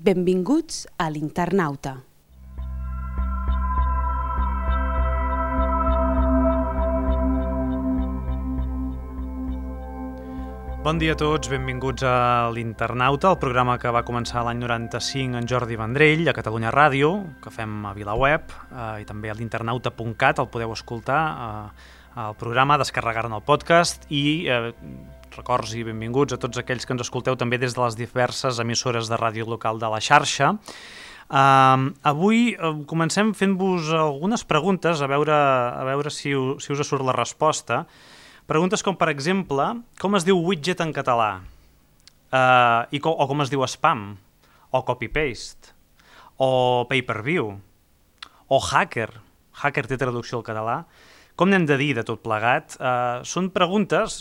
Benvinguts a l'Internauta. Bon dia a tots, benvinguts a l'Internauta, el programa que va començar l'any 95 en Jordi Vendrell, a Catalunya Ràdio, que fem a VilaWeb, i també a l'internauta.cat, el podeu escoltar al programa, descarregar-ne el podcast, i records i benvinguts a tots aquells que ens escolteu també des de les diverses emissores de ràdio local de la xarxa. Avui comencem fent-vos algunes preguntes, a veure si us surt la resposta. Preguntes com, per exemple, com es diu widget en català? O com es diu spam? O copy-paste? O pay-per-view? O hacker? Hacker té traducció al català? Com n'hem de dir de tot plegat? Són preguntes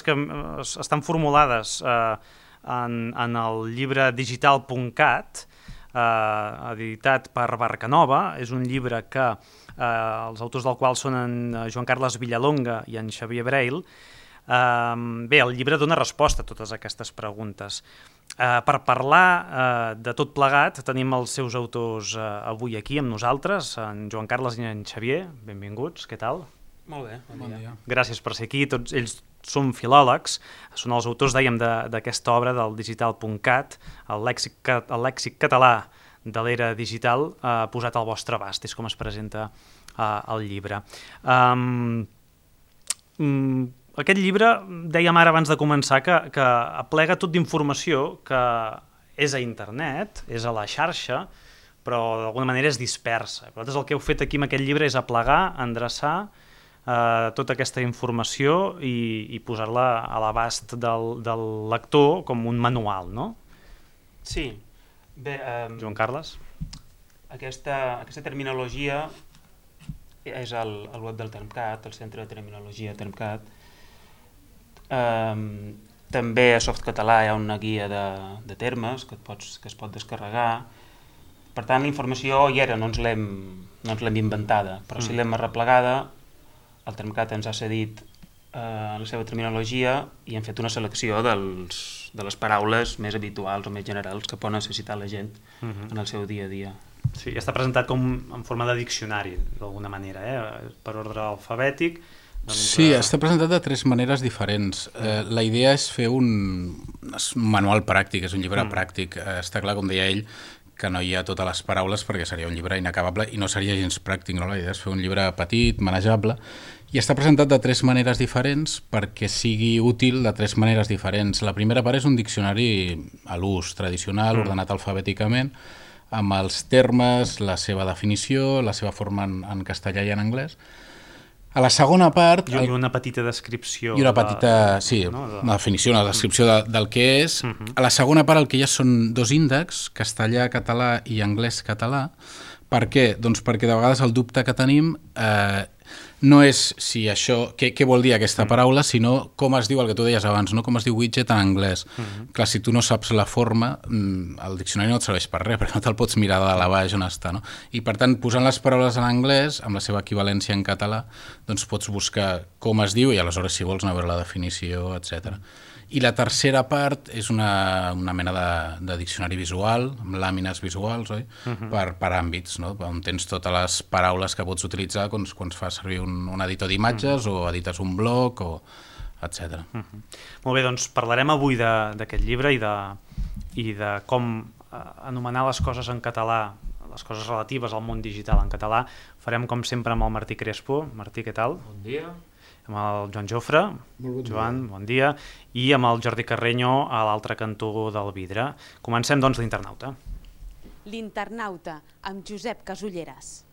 que estan formulades en el llibre digital.cat, editat per Barcanova. És un llibre que els autors del qual són en Joan Carles Villalonga i en Xavier Breil. Bé, el llibre dona resposta a totes aquestes preguntes. Per parlar de tot plegat tenim els seus autors avui aquí amb nosaltres, en Joan Carles i en Xavier. Benvinguts, què tal? Molt bé, bon dia. Gràcies per ser aquí. Tots ells són filòlegs, són els autors, dèiem, d'aquesta obra del digital.cat, el lèxic català de l'era digital posat al vostre abast, és com es presenta el llibre. Aquest llibre, dèiem ara abans de començar, que aplega tot d'informació que és a internet, és a la xarxa, però d'alguna manera és dispersa. Vosaltres el que heu fet aquí amb aquest llibre és aplegar, endreçar tota aquesta informació i posar-la a l'abast del lector com un manual, no? Sí. Bé, Joan Carles? Aquesta terminologia és al web del Termcat, el centre de terminologia Termcat. També a Softcatalà hi ha una guia de termes que es pot descarregar. Per tant, la informació hi era, no ens l'hem inventada, però si l'hem arreplegada, el Termcat ens ha cedit la seva terminologia i hem fet una selecció de les paraules més habituals o més generals que pot necessitar la gent en el seu dia a dia. Sí, està presentat com en forma de diccionari, d'alguna manera, per ordre alfabètic. Sí, està presentat de tres maneres diferents. La idea és fer un manual pràctic, és un llibre pràctic. Està clar, com deia ell, que no hi ha totes les paraules perquè seria un llibre inacabable i no seria gens pràctic, no? La idea és fer un llibre petit, manejable, i està presentat de tres maneres diferents perquè sigui útil de tres maneres diferents. La primera part és un diccionari a l'ús tradicional, ordenat alfabèticament, amb els termes, la seva definició, la seva forma en castellà i en anglès. A la segona part... I una petita descripció. I una petita, una definició, una descripció del que és. A la segona part el que hi ha són dos índexs, castellà-català i anglès-català. Per què? Doncs perquè de vegades el dubte que tenim no és si això, què vol dir aquesta paraula, sinó com es diu el que tu deies abans, no? Com es diu widget en anglès. Clar, si tu no saps la forma, el diccionari no et serveix per res, perquè no te'l pots mirar de dalt a baix on està, no? I per tant, posant les paraules en anglès, amb la seva equivalència en català, doncs pots buscar com es diu i aleshores, si vols, anar a veure la definició, etc. I la tercera part és una mena de diccionari visual, amb làmines visuals, oi? Per àmbits, no? On tens totes les paraules que pots utilitzar quan fas servir un editor d'imatges o edites un blog, etc. Molt bé, doncs parlarem avui d'aquest llibre i de com anomenar les coses en català, les coses relatives al món digital en català. Farem, com sempre, amb el Martí Crespo. Martí, què tal? Bon dia. Amb el Joan Jofre. Joan, bon dia. I amb el Jordi Carreño a l'altre cantó del vidre. Comencem, doncs, l'Internauta. L'Internauta, amb Josep Casulleras.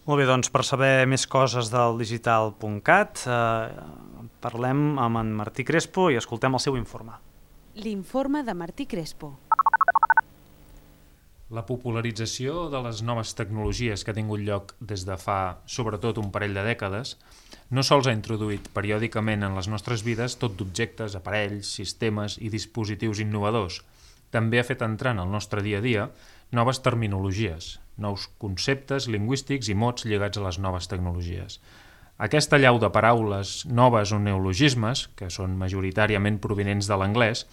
Molt bé, doncs per saber més coses del digital.cat parlem amb en Martí Crespo i escoltem el seu informe. L'informe de Martí Crespo. La popularització de les noves tecnologies que ha tingut lloc des de fa, sobretot, un parell de dècades, no sols ha introduït periòdicament en les nostres vides tot d'objectes, aparells, sistemes i dispositius innovadors, també ha fet entrar en el nostre dia a dia noves terminologies, nous conceptes lingüístics i mots lligats a les noves tecnologies. Aquesta allau de paraules noves o neologismes, que són majoritàriament provinents de l'anglès,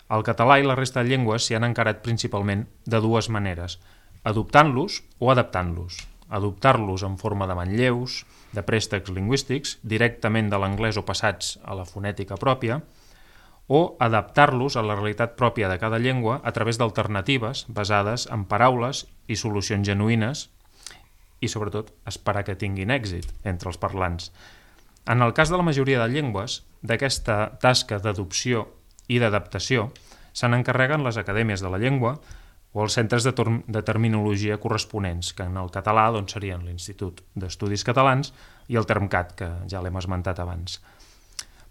el català i la resta de llengües s'hi han encarat principalment de dues maneres, adoptant-los o adaptant-los. Adoptar-los en forma de manlleus, de préstecs lingüístics, directament de l'anglès o passats a la fonètica pròpia, o adaptar-los a la realitat pròpia de cada llengua a través d'alternatives basades en paraules i solucions genuïnes i, sobretot, esperar que tinguin èxit entre els parlants. En el cas de la majoria de llengües, d'aquesta tasca d'adopció i d'adaptació se'n encarreguen les acadèmies de la llengua o els centres de terminologia corresponents, que en el català serien l'Institut d'Estudis Catalans i el Termcat, que ja l'hem esmentat abans.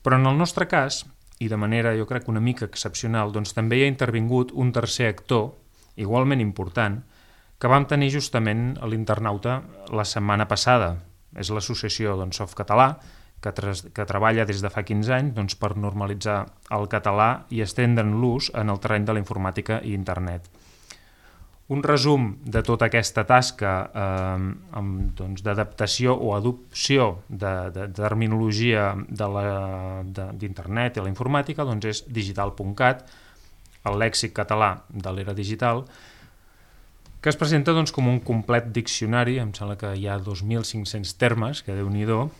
Però en el nostre cas, i de manera jo crec una mica excepcional, també hi ha intervingut un tercer actor, igualment important, que vam tenir justament a l'Internauta la setmana passada. És l'associació Softcatalà, que treballa des de fa 15 anys per normalitzar el català i estendre'n l'ús en el terreny de la informàtica i internet. Un resum de tota aquesta tasca d'adaptació o adopció de terminologia d'internet i la informàtica és digital.cat, el lèxic català de l'era digital, que es presenta com un complet diccionari, em sembla que hi ha 2.500 termes, que Déu-n'hi-do,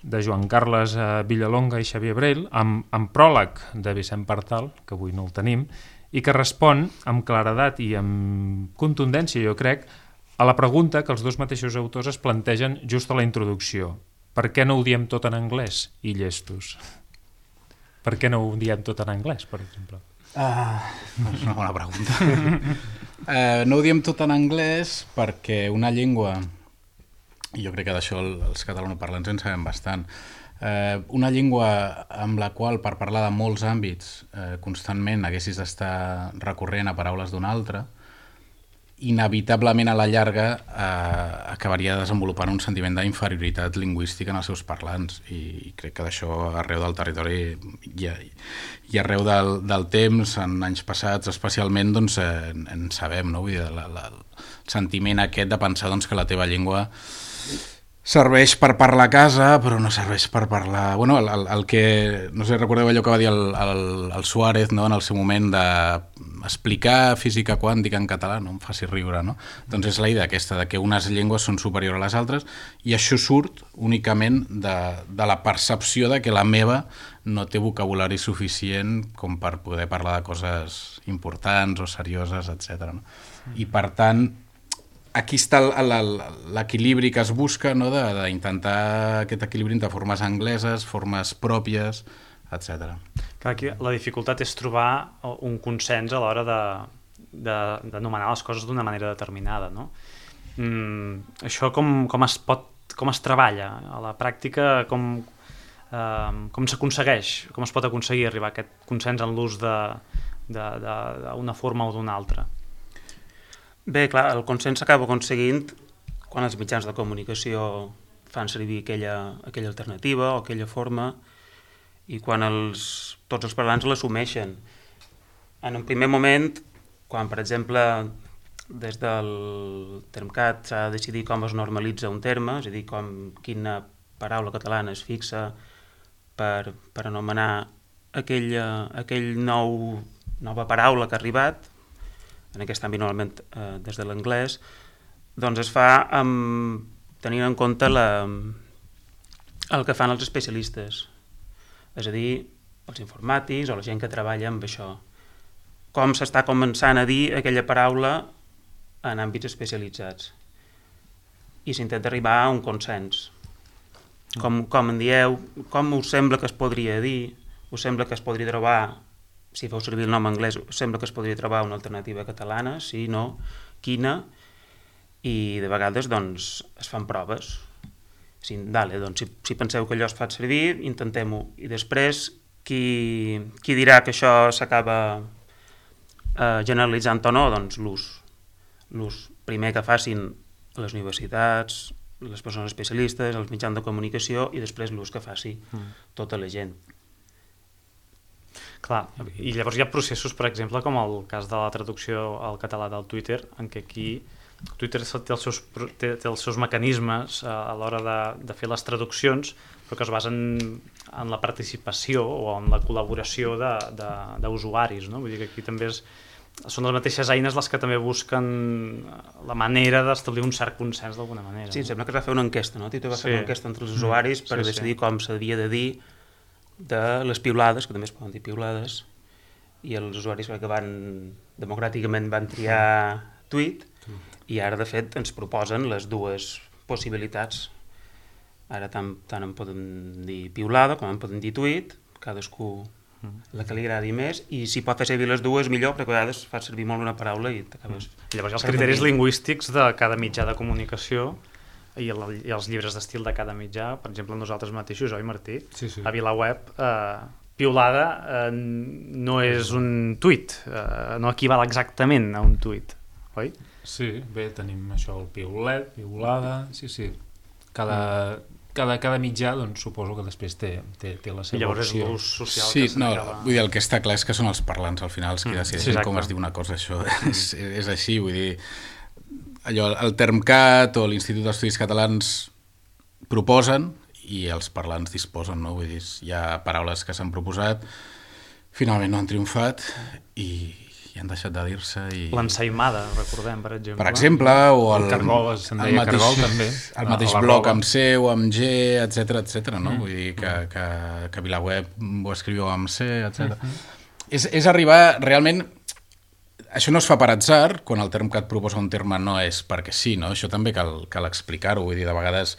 de Joan Carles Villalonga i Xavier Brel, amb pròleg de Vicent Partal, que avui no el tenim, i que respon amb claredat i amb contundència, jo crec, a la pregunta que els dos mateixos autors es plantegen just a la introducció. Per què no ho diem tot en anglès, i llestos? Per què no ho diem tot en anglès, per exemple? És una bona pregunta. No ho diem tot en anglès perquè una llengua, i jo crec que d'això els catalanoparlants en sabem bastant, una llengua amb la qual per parlar de molts àmbits constantment haguessis d'estar recorrent a paraules d'una altra, inevitablement a la llarga acabaria desenvolupant un sentiment d'inferioritat lingüística en els seus parlants, i crec que d'això arreu del territori i arreu del temps, en anys passats especialment, en sabem, no? Vull dir, el sentiment aquest de pensar que la teva llengua serveix per parlar a casa, però no serveix per parlar... Bueno, el que... No sé, recordeu allò que va dir el Suárez, no?, en el seu moment d'explicar física quàntica en català, no em faci riure, no? Doncs és la idea aquesta, de que unes llengües són superiors a les altres, i això surt únicament de la percepció de que la meva no té vocabulari suficient com per poder parlar de coses importants o serioses, etc. No? I per tant, aquí està l'equilibri que es busca, no? D'intentar aquest equilibri entre formes angleses, formes pròpies, etc. Aquí la dificultat és trobar un consens a l'hora d'anomenar les coses d'una manera determinada, no? Això com es treballa a la pràctica, com s'aconsegueix, com es pot aconseguir arribar a aquest consens en l'ús d'una forma o d'una altra? Bé, clar, el consens s'acaba aconseguint quan els mitjans de comunicació fan servir aquella alternativa o aquella forma, i quan tots els parlants l'assumeixen. En un primer moment, quan, per exemple, des del Termcat s'ha de decidir com es normalitza un terme, és a dir, quina paraula catalana es fixa per anomenar aquell nova paraula que ha arribat, en aquest àmbit normalment des de l'anglès, doncs es fa tenint en compte el que fan els especialistes, és a dir, els informàtics o la gent que treballa amb això. Com s'està començant a dir aquella paraula en àmbits especialitzats. I s'intenta arribar a un consens. Com en dieu, com us sembla que es podria dir, us sembla que es podria trobar, si feu servir el nom anglès, sembla que es podria trobar una alternativa catalana, sí, no, quina, i de vegades es fan proves. Si penseu que allò es fa servir, intentem-ho, i després qui dirà que això s'acaba generalitzant o no, doncs l'ús. l'ús primer que facin les universitats, les persones especialistes, els mitjans de comunicació, i després l'ús que faci tota la gent. Clar, i llavors hi ha processos, per exemple, com el cas de la traducció al català del Twitter, en què aquí Twitter té els seus mecanismes a l'hora de fer les traduccions, però que es basen en la participació o en la col·laboració d'usuaris, no? Vull dir que aquí també són les mateixes eines les que també busquen la manera d'establir un cert consens d'alguna manera. Sí, em sembla que es va fer una enquesta, no? Twitter va fer una enquesta entre els usuaris per decidir com s'havia de dir de les piulades, que també es poden dir piulades, i els usuaris que democràticament van triar tweet, i ara de fet ens proposen les dues possibilitats. Ara tant en poden dir piulada com en poden dir tweet, cadascú la que li agradi més, i si pot fer servir les dues millor, perquè a vegades fa servir molt una paraula i t'acabes... Llavors hi ha els criteris lingüístics de cada mitjà de comunicació i els llibres d'estil de cada mitjà. Per exemple, nosaltres mateixos, oi Martí? Sí. A VilaWeb, piulada no és un tuit, no equival exactament a un tuit, oi? Sí, bé, tenim això, el piulet, piulada, sí. Cada mitjà, doncs, suposo que després té la seva llavors opció. És l'ús social sí, que s'acaba... vull dir, el que està clar és que són els parlants al final els que decideixen com es diu una cosa, això és així, vull dir, allò, el Termcat o l'Institut d'Estudis Catalans proposen i els parlants disposen, no? Vull dir, hi ha paraules que s'han proposat, finalment no han triomfat i han deixat de dir-se. L'ensaïmada, recordem, per exemple. Per exemple, o el cargol, se'n deia cargol, també. El mateix bloc amb C o amb G, etc, no? Vull dir que VilaWeb ho escriviu amb C, etc. És arribar, realment, això no es fa per atzar, quan el Termcat proposa un terme no és perquè sí, no? Això també cal explicar-ho, vull dir, de vegades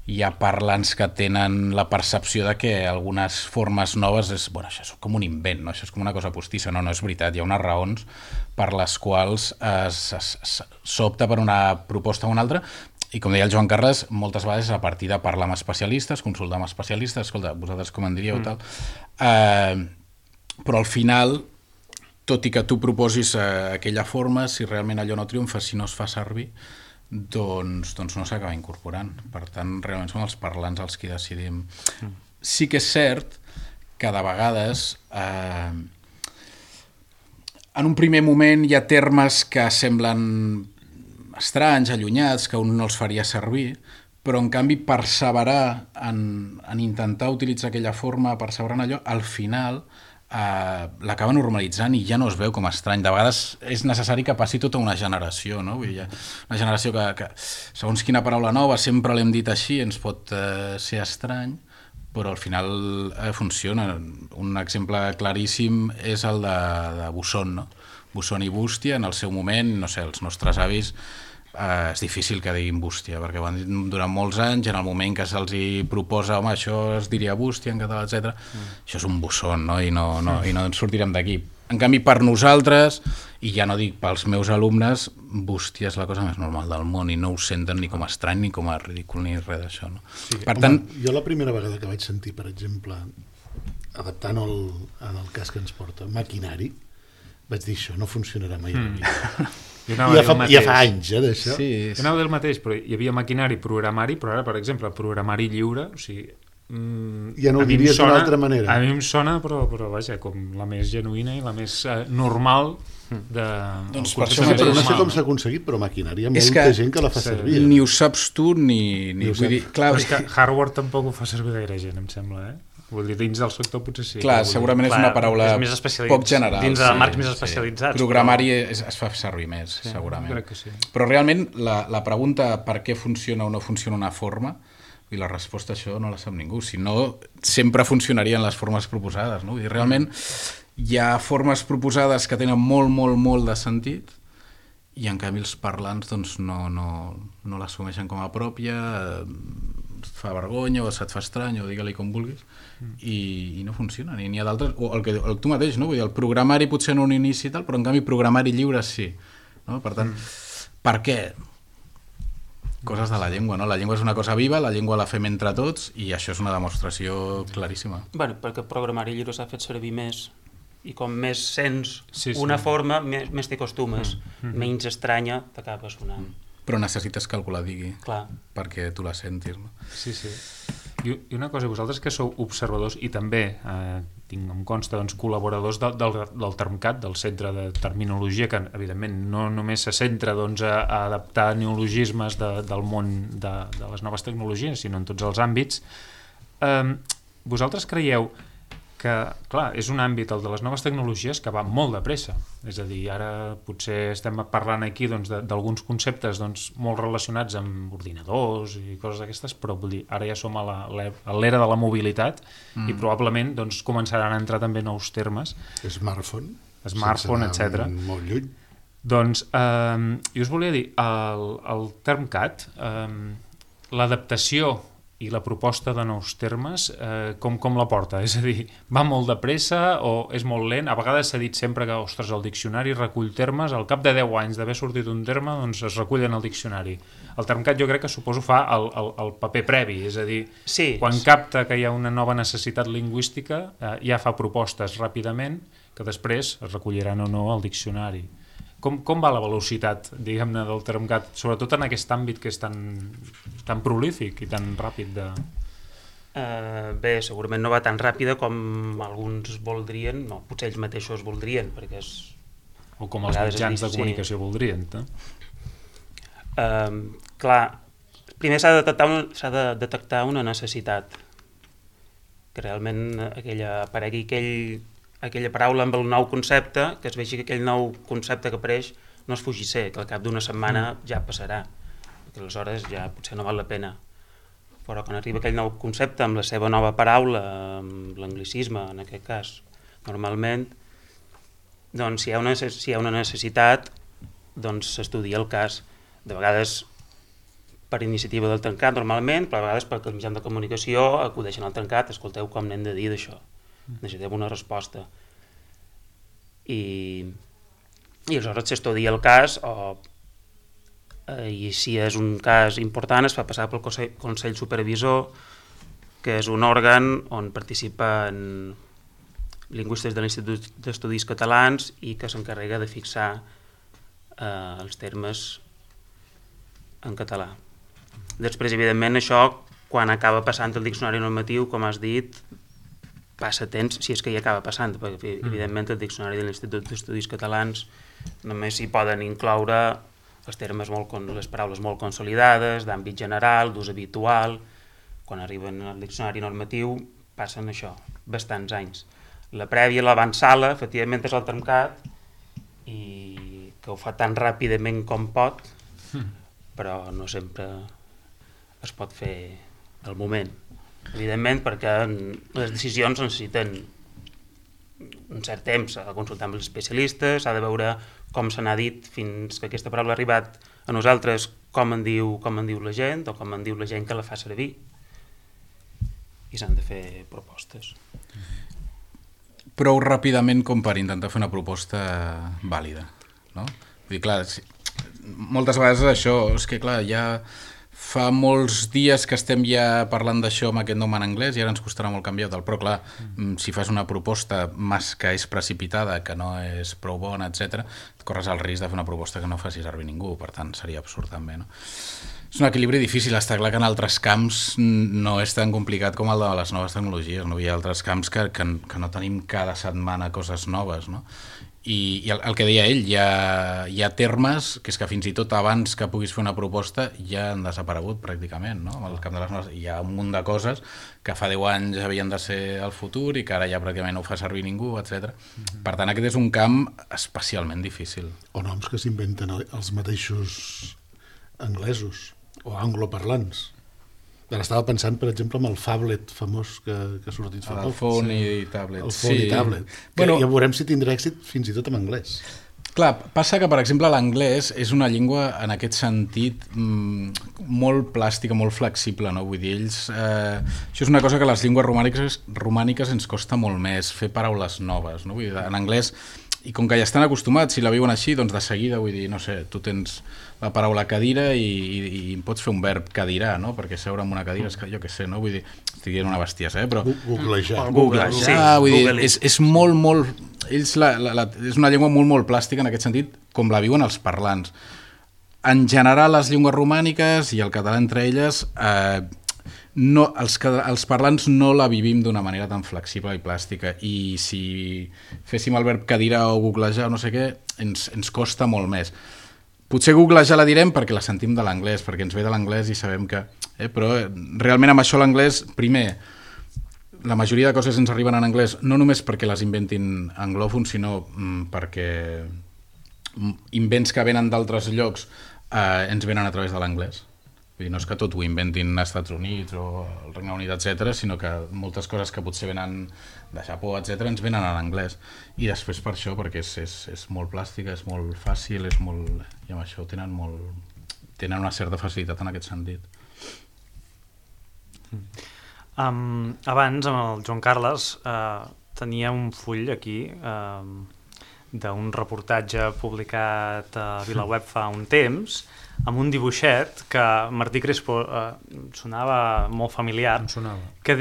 hi ha parlants que tenen la percepció de que algunes formes noves això és com un invent, no? Això és com una cosa postissa, no és veritat, hi ha unes raons per les quals s'opta per una proposta o una altra, i com deia el Joan Carles, moltes vegades a partir de parlar amb especialistes, consultar amb especialistes, escolta, vosaltres com en diríeu tal, però al final, tot i que tu proposis aquella forma, si realment allò no triomfa, si no es fa servir, doncs no s'acaba incorporant. Per tant, realment són els parlants els qui decidim. Sí que és cert que de vegades en un primer moment hi ha termes que semblen estranys, allunyats, que un no els faria servir, però en canvi perseverar en intentar utilitzar aquella forma, perseverar en allò, al final l'acaba normalitzant i ja no es veu com estrany. De vegades és necessari que passi tota una generació, no? Vull dir, una generació que segons quina paraula nova sempre l'hem dit així, ens pot ser estrany, però al final funciona. Un exemple claríssim és el de Busson, no? Busson i bústia, en el seu moment, no sé, els nostres avis és difícil que diguin bústia, perquè ho han dit durant molts anys, en el moment que se'ls hi proposa, home, això es diria bústia en català, etc. Això és un Busson, no? I no ens sortirem d'aquí. En canvi, per nosaltres, i ja no dic pels meus alumnes, bústia és la cosa més normal del món i no ho senten ni com a estrany, ni com a ridícul, ni res d'això. No? Sí, per tant, jo la primera vegada que vaig sentir, per exemple, adaptant en el cas que ens porta, maquinari, vaig dir, això no funcionarà mai a la vida. Ja fa anys, d'això. Sí. Jo anava del mateix, però hi havia maquinari, programari, però ara, per exemple, programari lliure, o sigui... ja no ho diries d'una altra manera. A mi em sona, però vaja, com la més genuïna i la més normal de... Doncs per això però no sé com s'ha aconseguit, però maquinari hi ha molta gent que la fa servir. Ni ho saps tu, ni vull dir... Clar, però és que hardware tampoc ho fa servir gaire gent, em sembla, Vull dir, dins del sector potser sí. Clar, segurament és una paraula poc general. Dins de marcs més especialitzats. Programari es fa servir més, segurament. Crec que sí. Però realment la pregunta per què funciona o no funciona una forma, i la resposta a això no la sap ningú. Si no, sempre funcionarien les formes proposades. No? Vull dir, realment hi ha formes proposades que tenen molt, molt, molt de sentit i en canvi els parlants doncs, no l'assumeixen com a pròpia, et fa vergonya o se't fa estrany o digue-li com vulguis i no funciona. N'hi ha d'altres, o el tu mateix, no? Vull dir, el programari potser en un inici i tal, però en canvi programari lliure sí. No? Per tant, per què? Coses de la llengua, no? La llengua és una cosa viva, la llengua la fem entre tots i això és una demostració claríssima. Bueno, perquè el programari lliure s'ha fet servir més i com més sents una forma, més t'hi acostumes, menys estranya t'acabes sonant. Però necessites que algú la digui. Clar. Perquè tu la sentis, no? Sí. I una cosa, vosaltres que sou observadors i també em consta col·laboradors del Termcat, del Centre de Terminologia, que evidentment no només se centra a adaptar neologismes del món de les noves tecnologies, sinó en tots els àmbits. Vosaltres creieu que, clar, és un àmbit, el de les noves tecnologies, que va molt de pressa. És a dir, ara potser estem parlant aquí d'alguns conceptes molt relacionats amb ordinadors i coses d'aquestes, però vull dir, ara ja som a l'era de la mobilitat i probablement començaran a entrar també nous termes. Smartphone, etc. Molt lluny. Doncs, jo us volia dir, el Termcat, l'adaptació i la proposta de nous termes, com la porta? És a dir, va molt de pressa o és molt lent? A vegades s'ha dit sempre que, ostres, el diccionari recull termes, al cap de 10 anys d'haver sortit un terme, doncs es recullen al diccionari. El Termcat jo crec que suposo fa el paper previ, és a dir, quan capta que hi ha una nova necessitat lingüística, ja fa propostes ràpidament que després es recolliran o no al diccionari. Com va la velocitat, diguem-ne, del Termcat, sobretot en aquest àmbit que és tan prolífic i tan ràpid de... Bé, segurament no va tan ràpida com alguns voldrien, no, potser ells mateixos voldrien, perquè és... O com els mitjans de comunicació voldrien, no? Clar, primer s'ha de detectar una necessitat, que realment aparegui aquella paraula amb el nou concepte, que es vegi que aquell nou concepte que apareix no és fugisser, que al cap d'una setmana ja passarà, perquè aleshores ja potser no val la pena. Però quan arriba aquell nou concepte amb la seva nova paraula, amb l'anglicisme en aquest cas, normalment, doncs si hi ha una necessitat, doncs s'estudia el cas. De vegades per iniciativa del Termcat normalment, però a vegades perquè els mitjans de comunicació acudeixen al Termcat, escolteu com n'hem de dir d'això. Necessitem una resposta i aleshores s'estudia el cas i si és un cas important es fa passar pel Consell Supervisor, que és un òrgan on participen lingüistes de l'Institut d'Estudis Catalans i que s'encarrega de fixar els termes en català. Després, evidentment, això quan acaba passant el diccionari normatiu, com has dit, passa temps, si és que hi acaba passant, perquè evidentment el diccionari de l'Institut d'Estudis Catalans només s'hi poden incloure els termes les paraules molt consolidades, d'àmbit general, d'ús habitual. Quan arriben al diccionari normatiu passen això, bastants anys. La prèvia, l'avantsala, efectivament és el Termcat, i que ho fa tan ràpidament com pot, però no sempre es pot fer al moment. Evidentment, perquè les decisions necessiten un cert temps, s'ha de consultar amb els especialistes, s'ha de veure com se n'ha dit fins que aquesta paraula ha arribat a nosaltres, com en diu la gent o com en diu la gent que la fa servir, i s'han de fer propostes. Prou ràpidament com per intentar fer una proposta vàlida, no? Vull dir, clar, moltes vegades això és que, clar, ja fa molts dies que estem ja parlant d'això amb aquest nom en anglès i ara ens costarà molt canviar-te'l, però clar, si fas una proposta que és precipitada, que no és prou bona, etc., corres el risc de fer una proposta que no faci servir ningú, per tant seria absurd també, no? És un equilibri difícil, està clar que en altres camps no és tan complicat com el de les noves tecnologies, no? Hi ha altres camps que no tenim cada setmana coses noves, no? I el que deia ell, hi ha termes que és que fins i tot abans que puguis fer una proposta ja han desaparegut pràcticament, no? El camp de les noves, hi ha un munt de coses que fa 10 anys havien de ser el futur i que ara ja pràcticament no ho fa servir ningú, etc. Per tant, aquest és un camp especialment difícil. O noms que s'inventen els mateixos anglesos o angloparlants. Ara estava pensant, per exemple, en el phablet famós que ha sortit fa poc. El phone i tablet. El phone i tablet. Bueno, ja veurem si tindrà èxit fins i tot en anglès. Clar, passa que, per exemple, l'anglès és una llengua en aquest sentit molt plàstica, molt flexible, no? Vull dir, això és una cosa que a les llengües romàniques ens costa molt més, fer paraules noves, no? Vull dir, en anglès, i com que ja estan acostumats, si la viuen així, doncs de seguida, vull dir, no sé, tu tens la paraula cadira i pots fer un verb cadirar, no? Perquè seure en una cadira, és que jo què sé, no? Vull dir, estic dient una bestiesa, però... Googlejar. Googlejar, vull dir, és molt, molt... ells és una llengua molt, molt plàstica en aquest sentit, com la viuen els parlants. En general, les llengües romàniques i el català entre elles, els parlants no la vivim d'una manera tan flexible i plàstica, i si féssim el verb cadira o googlejar o no sé què, ens costa molt més. Potser googlejar la direm perquè la sentim de l'anglès, perquè ens ve de l'anglès i sabem que... Però realment amb això l'anglès, primer, la majoria de coses ens arriben en anglès no només perquè les inventin anglòfons, sinó perquè invents que venen d'altres llocs ens venen a través de l'anglès. Vull dir, no és que tot ho inventin als Estats Units o el Regne Unit, etc., sinó que moltes coses que potser venen de Japó, etc., ens venen en anglès. I després per això, perquè és molt plàstica, és molt fàcil, és molt... i amb això tenen una certa facilitat en aquest sentit. Abans, amb el Joan Carles, tenia un full aquí d'un reportatge publicat a VilaWeb fa un temps, amb un dibuixet que Martí Crespo sonava molt familiar, que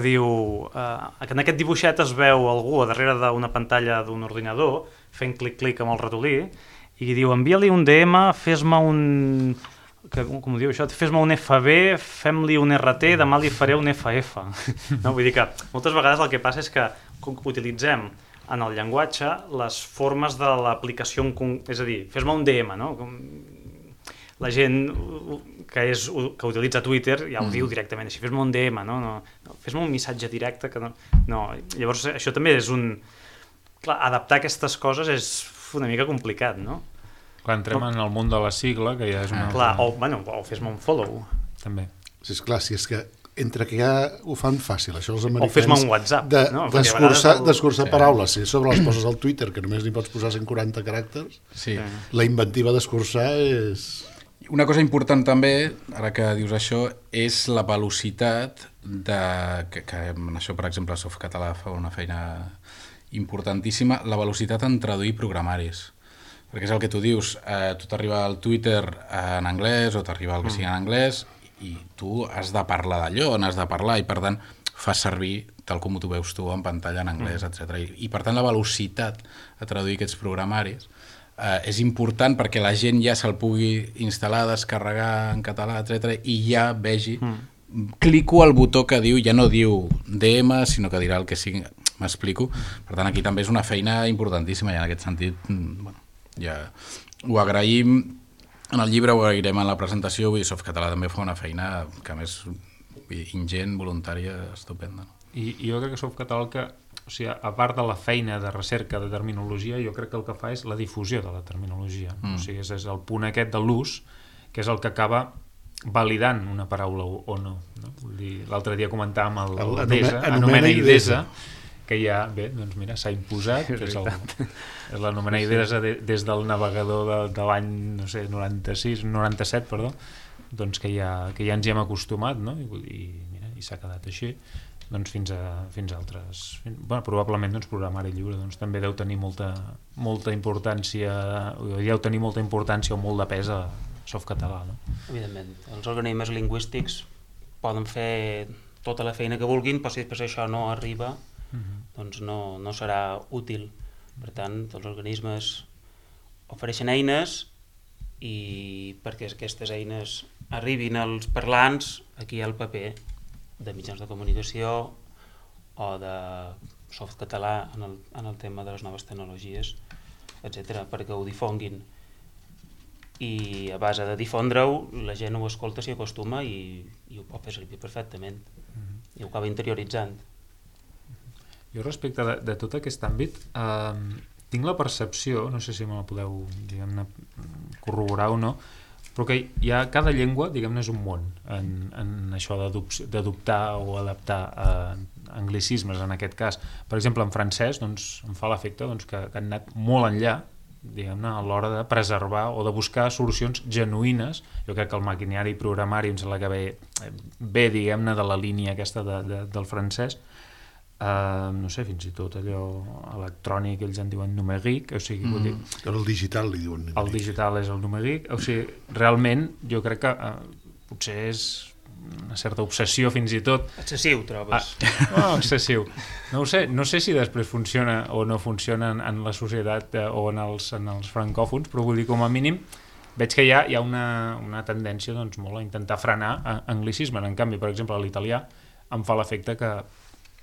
diu que en aquest dibuixet es veu algú a darrere d'una pantalla d'un ordinador fent clic-clic amb el ratolí i diu, envia-li un DM, fes-me un... com ho diu això? Fes-me un FB, fem-li un RT, demà li faré un FF. No? Vull dir que moltes vegades el que passa és que utilitzem en el llenguatge les formes de l'aplicació, és a dir, fes-me un DM, no? La gent que utilitza Twitter ja ho diu directament, així, fes-me un DM, no? Fes-me un missatge directe. Que no. Llavors, això també és un... Clar, adaptar aquestes coses és una mica complicat, no? Clar, entrem en el món de la sigla, que ja és una... Clar, o fes-me un follow. També. Sí, esclar, si és que entre que ja ho fan fàcil, això els americans... O fes-me un WhatsApp. D'escurçar paraules, si sobre les poses al Twitter, que només n'hi pots posar 140 caràcters, la inventiva d'escurçar és... Una cosa important també, ara que dius això, és la velocitat que en això, per exemple, Softcatalà fa una feina importantíssima, la velocitat en traduir programaris. Perquè és el que tu dius, tu t'arriba al Twitter en anglès o t'arriba el que sigui en anglès i tu has de parlar d'allò, n'has de parlar i per tant fas servir tal com tu veus tu en pantalla en anglès, etc. I per tant la velocitat a traduir aquests programaris és important perquè la gent ja se'l pugui instal·lar, descarregar en català, etc. i ja vegi, clico al botó que diu, ja no diu DM, sinó que dirà el que sigui, m'explico. Per tant, aquí també és una feina importantíssima i en aquest sentit, bueno, ja ho agraïm, en el llibre ho agrairem en la presentació, vull dir, Softcatalà també fa una feina que a més ingent, voluntària, estupenda. I jo crec que Softcatalà que... O sigui, a part de la feina de recerca de terminologia, jo crec que el que fa és la difusió de la terminologia. O sigui, és el punt aquest de l'ús, que és el que acaba validant una paraula o no. Vull dir, l'altre dia comentàvem el DESA, anomena IDESA, que ja, bé, doncs mira, s'ha imposat, que és l'anomena IDESA des del navegador de l'any, no sé, 97, perdó, doncs que ja ens hi hem acostumat, no? I s'ha quedat així. Doncs fins a altres... Bueno, probablement programari lliure també deu tenir molta importància, deu tenir molta importància o molt de pes a Softcatalà, no? Evidentment, els organismes lingüístics poden fer tota la feina que vulguin, però si després això no arriba, doncs no serà útil. Per tant, els organismes ofereixen eines i perquè aquestes eines arribin als parlants, aquí hi ha el paper de mitjans de comunicació o de Softcatalà en el tema de les noves tecnologies, etc., perquè ho difonguin. I a base de difondre-ho, la gent ho escolta, s'hi acostuma i ho pot fer servir perfectament. I ho acaba interioritzant. Jo respecte de tot aquest àmbit, tinc la percepció, no sé si me la podeu corroborar o no, però que cada llengua, diguem-ne, és un món en això d'adoptar o adaptar anglicismes, en aquest cas. Per exemple, en francès, doncs, em fa l'efecte que han anat molt enllà, diguem-ne, a l'hora de preservar o de buscar solucions genuïnes. Jo crec que el maquinari i programari em sembla que ve diguem-ne, de la línia aquesta del francès. No sé, fins i tot allò electrònic, ells en diuen numèric, o sigui, vull dir... El digital li diuen numèric. El digital és el numèric, o sigui, realment jo crec que potser és una certa obsessió fins i tot. Excessiu, trobes? Excessiu. No sé si després funciona o no funciona en la societat o en els francòfons, però vull dir, com a mínim, veig que hi ha una tendència doncs, molt a intentar frenar anglicisme. En canvi, per exemple, l'italià em fa l'efecte que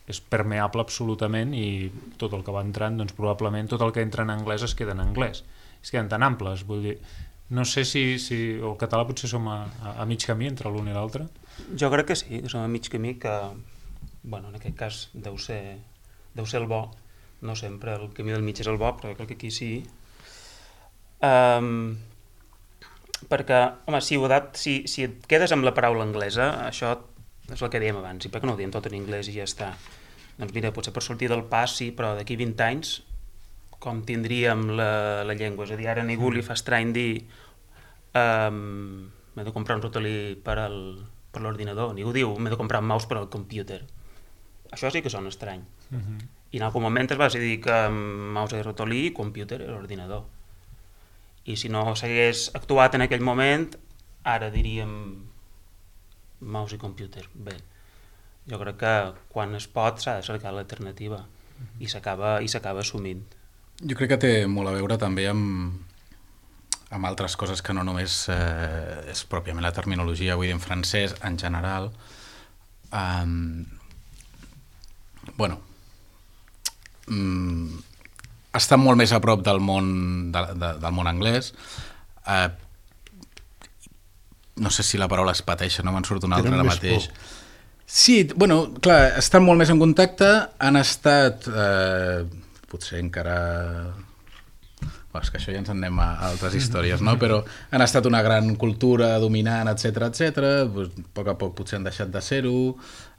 és permeable absolutament i tot el que va entrant, doncs probablement tot el que entra en anglès es queda en anglès. Es queden tan amples, vull dir, no sé si el català potser som a mig camí entre l'un i l'altre. Jo crec que sí, que som a mig camí, que bueno, en aquest cas deu ser el bo. No sempre el camí del mig és el bo, però crec que aquí sí. Perquè, home, si et quedes amb la paraula anglesa, això és el que dèiem abans, i per què no ho diem tot en anglès i ja està? Doncs mira, potser per sortir del pas sí, però d'aquí 20 anys com tindríem la llengua. És a dir, ara a ningú li fa estrany dir m'he de comprar un ratolí per l'ordinador. Ningú diu m'he de comprar un mouse per al computer. Això sí que sona estrany. I en algun moment es va decidir que mouse és ratolí i computer és l'ordinador. I si no s'hagués actuat en aquell moment, ara diríem mouse i computer. Bé, jo crec que quan es pot s'ha de cercar l'alternativa i s'acaba assumint. Jo crec que té molt a veure també amb altres coses que no només és pròpiament la terminologia, vull dir, en francès, en general. Està molt més a prop del món anglès. No sé si la paraula es pateixa, no me'n surt una altra ara mateix. Sí, bueno, clar, estan molt més en contacte, han estat... potser encara... és que això ja ens en anem a altres històries, no? Però han estat una gran cultura dominant, etc. A poc a poc potser han deixat de ser-ho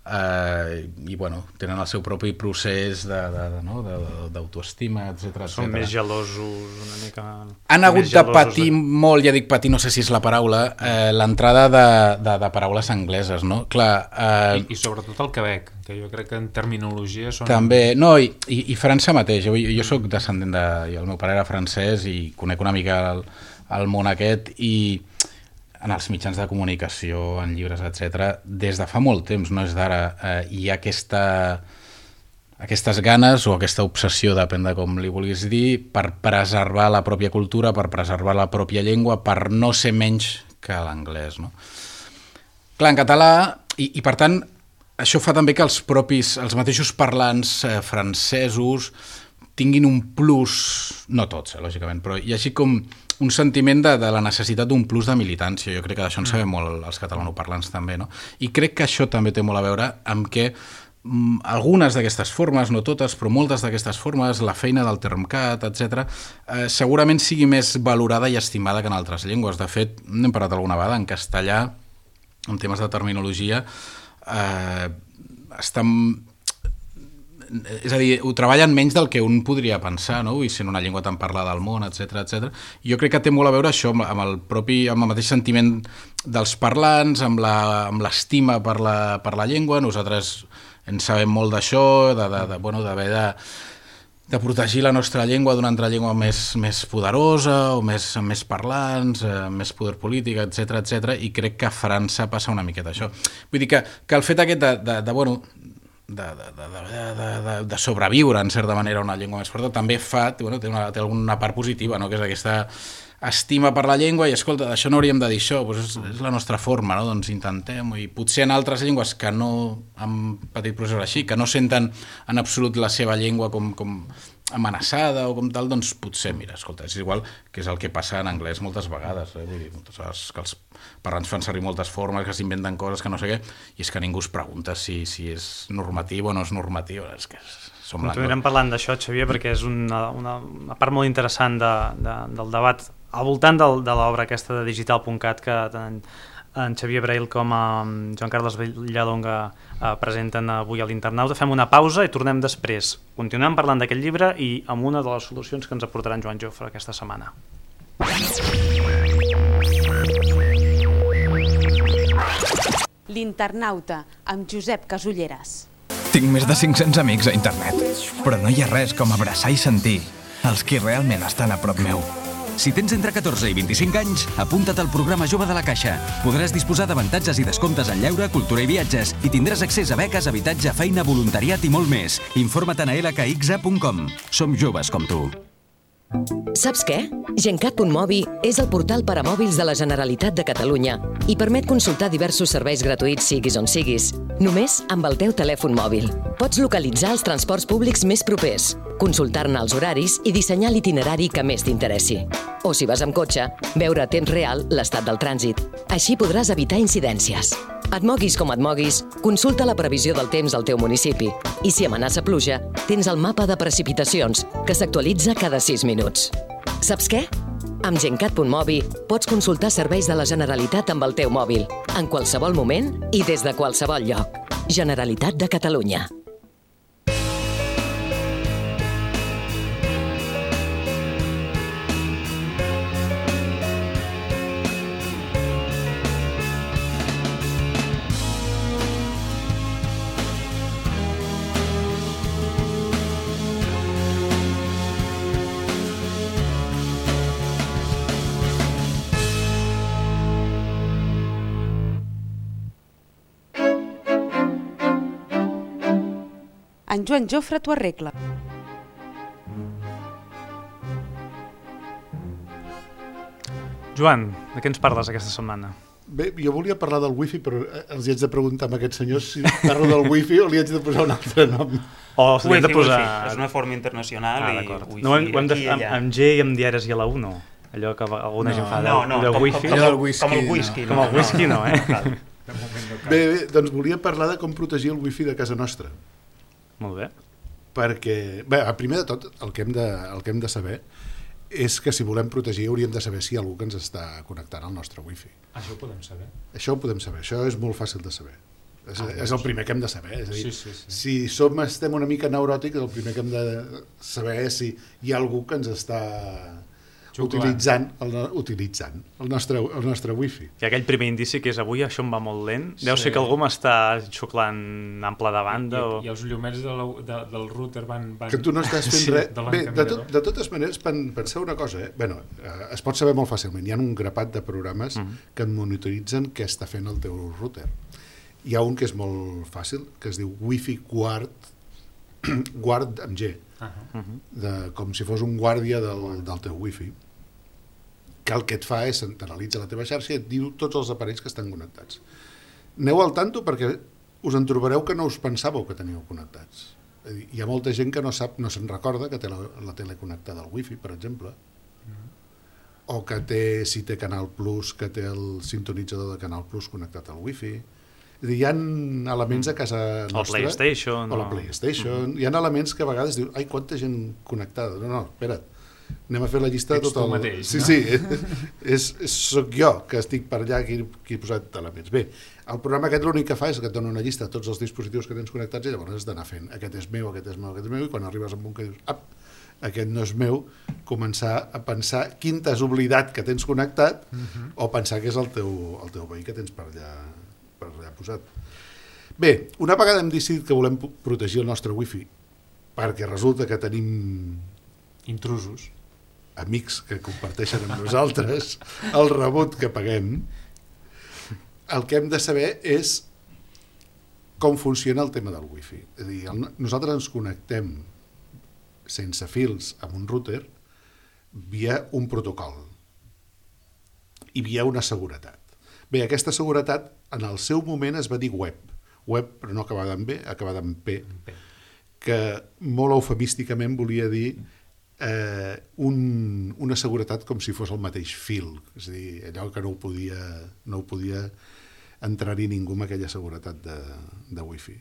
i bueno, tenen el seu propi procés d'autoestima, etc. Són més gelosos una mica... Han hagut de patir molt, ja dic patir, no sé si és la paraula, l'entrada de paraules angleses, no? Clar, I sobretot el Quebec, que jo crec que en terminologia són... També, no, i França mateix. Jo soc descendent el meu pare era francès i conec una mica el món aquest i en els mitjans de comunicació, en llibres, etc. Des de fa molt temps, no és d'ara, hi ha aquestes ganes o aquesta obsessió, depèn de com li vulguis dir, per preservar la pròpia cultura, per preservar la pròpia llengua, per no ser menys que l'anglès, no? Clar, en català, i per tant, això fa també que els mateixos parlants francesos tinguin un plus, no tots, lògicament, però hi hagi com un sentiment de la necessitat d'un plus de militància. Jo crec que d'això en sabem molt els catalanoparlants també, no? I crec que això també té molt a veure amb que algunes d'aquestes formes, no totes, però moltes d'aquestes formes, la feina del Termcat, etc., segurament sigui més valorada i estimada que en altres llengües. De fet, n'hem parlat alguna vegada, en castellà, en temes de terminologia, és a dir, ho treballen menys del que un podria pensar, no? I sent una llengua tan parlada al món, etc. Jo crec que té molt a veure això amb el mateix sentiment dels parlants, amb l'estima per la llengua. Nosaltres en sabem molt d'això, d'haver de protegir la nostra llengua d'una altra llengua més poderosa o amb més parlants, amb més poder polític, etc. I crec que a França passa una miqueta això. Vull dir que el fet aquest de sobreviure en certa manera una llengua més forta també té alguna part positiva, no? Que és aquesta estima per la llengua i escolta, d'això no hauríem de dir això, doncs és la nostra forma, no? Doncs intentem, i potser en altres llengües que no han patit processos així, que no senten en absolut la seva llengua com amenaçada o com tal, doncs potser, mira, escolta, és igual que és el que passa en anglès moltes vegades, vull dir, moltes vegades que els parlants fan servir moltes formes, que s'inventen coses que no sé què, i és que ningú es pregunta si és normatiu o no és normatiu, és que som blancs. Continuarem parlant d'això, Xavier, perquè és una part molt interessant del debat al voltant de l'obra aquesta de digital.cat que tant en Xavier Brail com en Joan Carles Villalonga presenten avui a l'Internauta. Fem una pausa i tornem després. Continuem parlant d'aquest llibre i amb una de les solucions que ens aportarà en Joan Jofre aquesta setmana. L'Internauta, amb Josep Casulleras. Tinc més de 500 amics a internet, però no hi ha res com abraçar i sentir els qui realment estan a prop meu. Si tens entre 14 i 25 anys, apunta't al programa Jove de la Caixa. Podràs disposar d'avantatges i descomptes en lleure, cultura i viatges i tindràs accés a beques, habitatge, feina, voluntariat i molt més. Informa't a lkxa.com. Som joves com tu. Saps què? Gencat.mobi és el portal per a mòbils de la Generalitat de Catalunya i permet consultar diversos serveis gratuïts siguis on siguis, només amb el teu telèfon mòbil. Pots localitzar els transports públics més propers, consultar-ne els horaris i dissenyar l'itinerari que més t'interessi. O si vas amb cotxe, veure a temps real l'estat del trànsit. Així podràs evitar incidències. Et moguis com et moguis, consulta la previsió del temps al teu municipi. I si amenaça pluja, tens el mapa de precipitacions, que s'actualitza cada 6 minuts. Saps què? Amb Gencat.mobi pots consultar serveis de la Generalitat amb el teu mòbil, en qualsevol moment i des de qualsevol lloc. Generalitat de Catalunya. En Joan Jofre t'ho arregla. Joan, de què ens parles aquesta setmana? Bé, jo volia parlar del wifi, però els hi haig de preguntar a aquests senyors si parlo del wifi o li haig de posar un altre nom. O li hem de posar... Wifi. És una forma internacional i wifi. No, ho hem de fer amb G i amb diaris i a la 1, no? Allò que alguna gent fa de wifi. Com el whisky. Com el whisky, no, eh? Bé, doncs volia parlar de com protegir el wifi de casa nostra. Molt bé. Perquè, bé, primer de tot, el que hem de saber és que si volem protegir hauríem de saber si hi ha algú que ens està connectant al nostre wifi. Això ho podem saber? Això ho podem saber, això és molt fàcil de saber. És el primer que hem de saber. És a dir, si estem una mica neuròtics, el primer que hem de saber és si hi ha algú que ens està utilitzant el nostre wifi. I aquell primer indici que és avui això em va molt lent, deu ser que algú m'està xuclant ample de banda I els llumets del router van... Que tu no estàs fent res. Bé, de totes maneres, penseu una cosa, es pot saber molt fàcilment. Hi ha un grapat de programes que et monitoritzen què està fent el teu router. Hi ha un que és molt fàcil, que es diu Wi-Fi Guard amb G, com si fos un guàrdia del teu wifi, que el que et fa és t'analitza la teva xarxa i et diu tots els aparells que estan connectats. Aneu al tanto perquè us en trobareu que no us pensàveu que teníeu connectats. Hi ha molta gent que no se'n recorda que té la tele connectada al wifi, per exemple, o que si té Canal Plus, que té el sintonitzador de Canal Plus connectat al wifi. Hi ha elements a casa nostra... O la PlayStation. Hi ha elements que a vegades dius, ai, quanta gent connectada. No, espera't. Anem a fer la llista de tot el... mateix, no? Sí, soc jo que estic per allà qui he posat elements. Bé, el programa aquest l'únic que fa és que et dona una llista de tots els dispositius que tens connectats i llavors has d'anar fent aquest és meu, aquest és meu, aquest és meu, i quan arribes a un que dius, aquest no és meu, començar a pensar quin t'has oblidat que tens connectat o pensar que és el teu veí que tens per allà posat. Bé, una vegada hem decidit que volem protegir el nostre wifi perquè resulta que tenim intrusos, amics que comparteixen amb nosaltres el rebut que paguem, el que hem de saber és com funciona el tema del wifi. És a dir, nosaltres ens connectem sense fils amb un router via un protocol i via una seguretat. Bé, aquesta seguretat en el seu moment es va dir web, però no acabada en B, acabada en P, que molt eufemísticament volia dir una seguretat com si fos el mateix fil, és a dir, allò que no ho podia entrar-hi ningú amb aquella seguretat de wifi.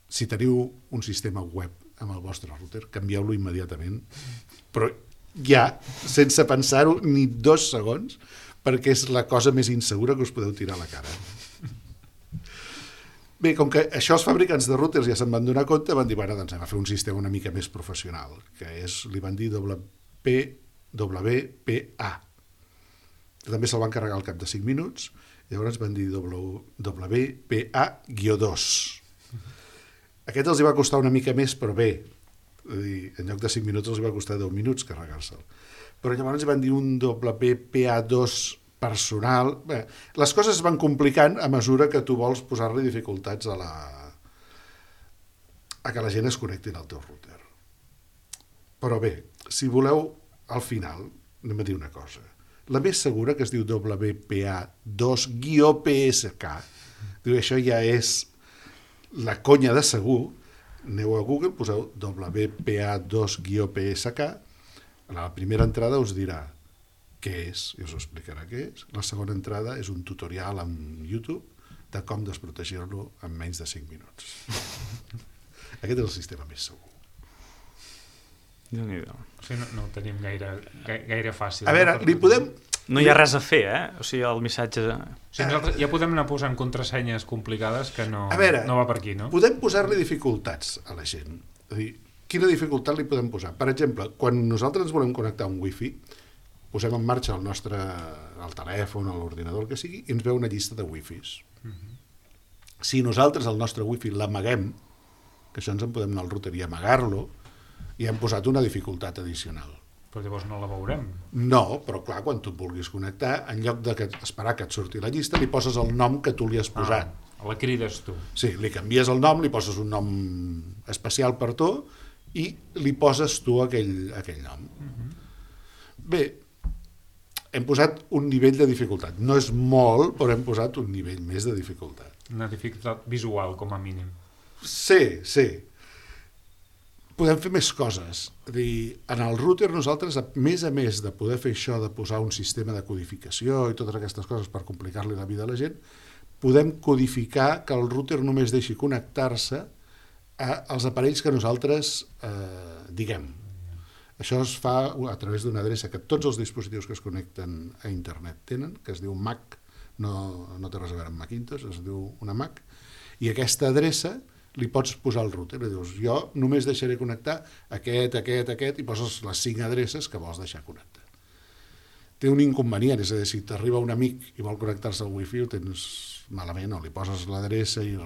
Si teniu un sistema web amb el vostre router, canvieu-lo immediatament, però ja, sense pensar-ho ni 2 segons, perquè és la cosa més insegura que us podeu tirar a la cara. Bé, com que això els fabricants de routers ja se'n van donar compte, van dir, bueno, doncs anem a fer un sistema una mica més professional, que li van dir WPA. També se'l van carregar al cap de 5 minuts, llavors van dir WPA-2. Aquest els hi va costar una mica més, però bé, En lloc de 5 minuts els va costar 10 minuts carregar-se'l. Però llavors van dir un WPA2 personal. Bé, les coses es van complicant a mesura que tu vols posar-li dificultats a que la gent es connecti al teu router. Però bé, si voleu, al final, anem a dir una cosa. La més segura, que es diu WPA2-PSK, diu, això ja és la conya de segur. Aneu a Google, poseu WPA2-PSK, a la primera entrada us dirà què és, i us explicarà què és. La segona entrada és un tutorial en YouTube de com desprotegir-lo en menys de 5 minuts. Aquest és el sistema més segur. O sigui, no ho tenim gaire fàcil. A veure, li podem... No hi ha res a fer, O sigui, el missatge... O sigui, nosaltres ja podem anar posant contrasenyes complicades que no va per aquí, no? Podem posar-li dificultats a la gent. És a dir, quina dificultat li podem posar? Per exemple, quan nosaltres ens volem connectar a un wifi, posem en marxa el telèfon, l'ordinador, el que sigui, i ens veu una llista de wifis. Si nosaltres el nostre wifi l'amaguem, que això ens en podem anar al router i amagar-lo, i hem posat una dificultat addicional. Però llavors no la veurem. No, però clar, quan tu et vulguis connectar, en lloc d'esperar que et surti la llista, li poses el nom que tu li has posat. La crides tu. Sí, li canvies el nom, li poses un nom especial per tu i li poses tu aquell nom. Bé, hem posat un nivell de dificultat. No és molt, però hem posat un nivell més de dificultat. Una dificultat visual, com a mínim. Sí. Podem fer més coses. En el router nosaltres, a més de poder fer això, de posar un sistema de codificació i totes aquestes coses per complicar-li la vida a la gent, podem codificar que el router només deixi connectar-se als aparells que nosaltres diguem. Això es fa a través d'una adreça que tots els dispositius que es connecten a internet tenen, que es diu MAC, no té res a veure amb Macintosh, es diu una MAC, i aquesta adreça li pots posar al router, li dius, jo només deixaré connectar aquest, i poses les 5 adreces que vols deixar connectar. Té un inconvenient, és a dir, si t'arriba un amic i vol connectar-se al wifi, ho tens malament, o li poses l'adreça i